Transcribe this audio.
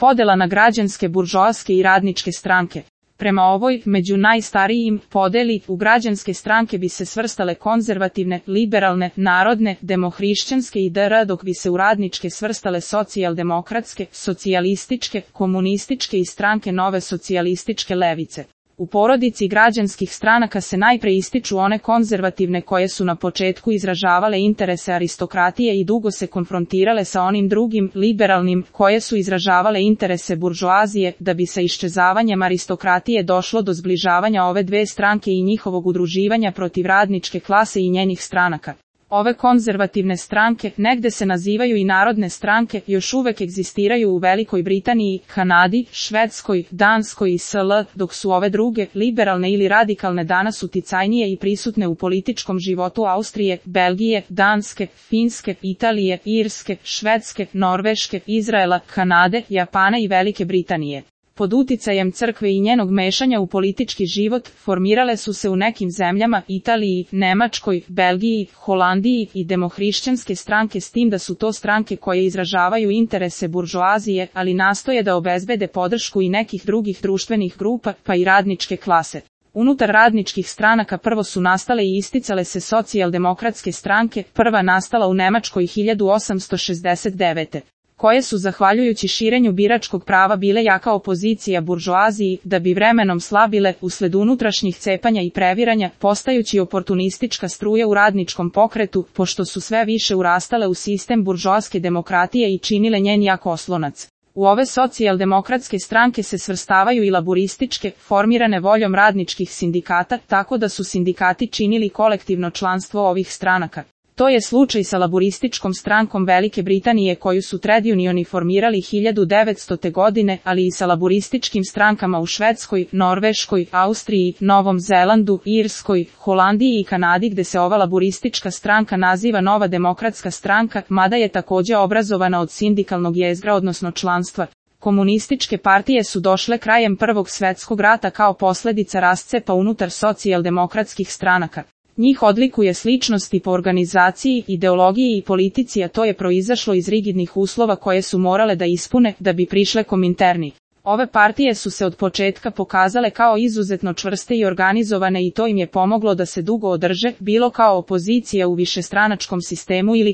Podela na građanske, buržoaske i radničke stranke. Prema ovoj, među najstarijim, podeli, u građanske stranke bi se svrstale konzervativne, liberalne, narodne, demohrišćanske i dr, dok bi se u radničke svrstale socijaldemokratske, socijalističke, komunističke i stranke nove socijalističke levice. U porodici građanskih stranaka se najpre ističu one konzervativne koje su na početku izražavale interese aristokratije i dugo se konfrontirale sa onim drugim, liberalnim, koje su izražavale interese buržoazije, da bi sa iščezavanjem aristokratije došlo do zbližavanja ove dve stranke i njihovog udruživanja protiv radničke klase i njenih stranaka. Ove konzervativne stranke, negde se nazivaju i narodne stranke, još uvek egzistiraju u Velikoj Britaniji, Kanadi, Švedskoj, Danskoj i SL, dok su ove druge, liberalne ili radikalne danas uticajnije i prisutne u političkom životu Austrije, Belgije, Danske, Finske, Italije, Irske, Švedske, Norveške, Izraela, Kanade, Japana i Velike Britanije. Pod uticajem crkve i njenog mešanja u politički život, formirale su se u nekim zemljama, Italiji, Nemačkoj, Belgiji, Holandiji i demohrišćanske stranke, s tim da su to stranke koje izražavaju interese buržoazije, ali nastoje da obezbede podršku i nekih drugih društvenih grupa, pa i radničke klase. Unutar radničkih stranaka prvo su nastale i isticale se socijaldemokratske stranke, prva nastala u Nemačkoj 1869. koje su zahvaljujući širenju biračkog prava bile jaka opozicija buržoaziji, da bi vremenom slabile, usled unutrašnjih cepanja i previranja, postajući oportunistička struja u radničkom pokretu, pošto su sve više urastale u sistem buržoaske demokratije i činile njen jak oslonac. U ove socijaldemokratske stranke se svrstavaju i laburističke, formirane voljom radničkih sindikata, tako da su sindikati činili kolektivno članstvo ovih stranaka. To je slučaj sa laburističkom strankom Velike Britanije koju su trade unioni formirali 1900. godine, ali i sa laburističkim strankama u Švedskoj, Norveškoj, Austriji, Novom Zelandu, Irskoj, Holandiji i Kanadi, gde se ova laburistička stranka naziva Nova demokratska stranka, mada je takođe obrazovana od sindikalnog jezgra odnosno članstva. Komunističke partije su došle krajem Prvog svetskog rata kao posledica rascepa unutar socijaldemokratskih stranaka. Njih odlikuje sličnosti po organizaciji, ideologiji i politici, a to je proizašlo iz rigidnih uslova koje su morale da ispune da bi prišle Kominterni. Ove partije su se od početka pokazale kao izuzetno čvrste i organizovane i to im je pomoglo da se dugo održe, bilo kao opozicija u višestranačkom sistemu ili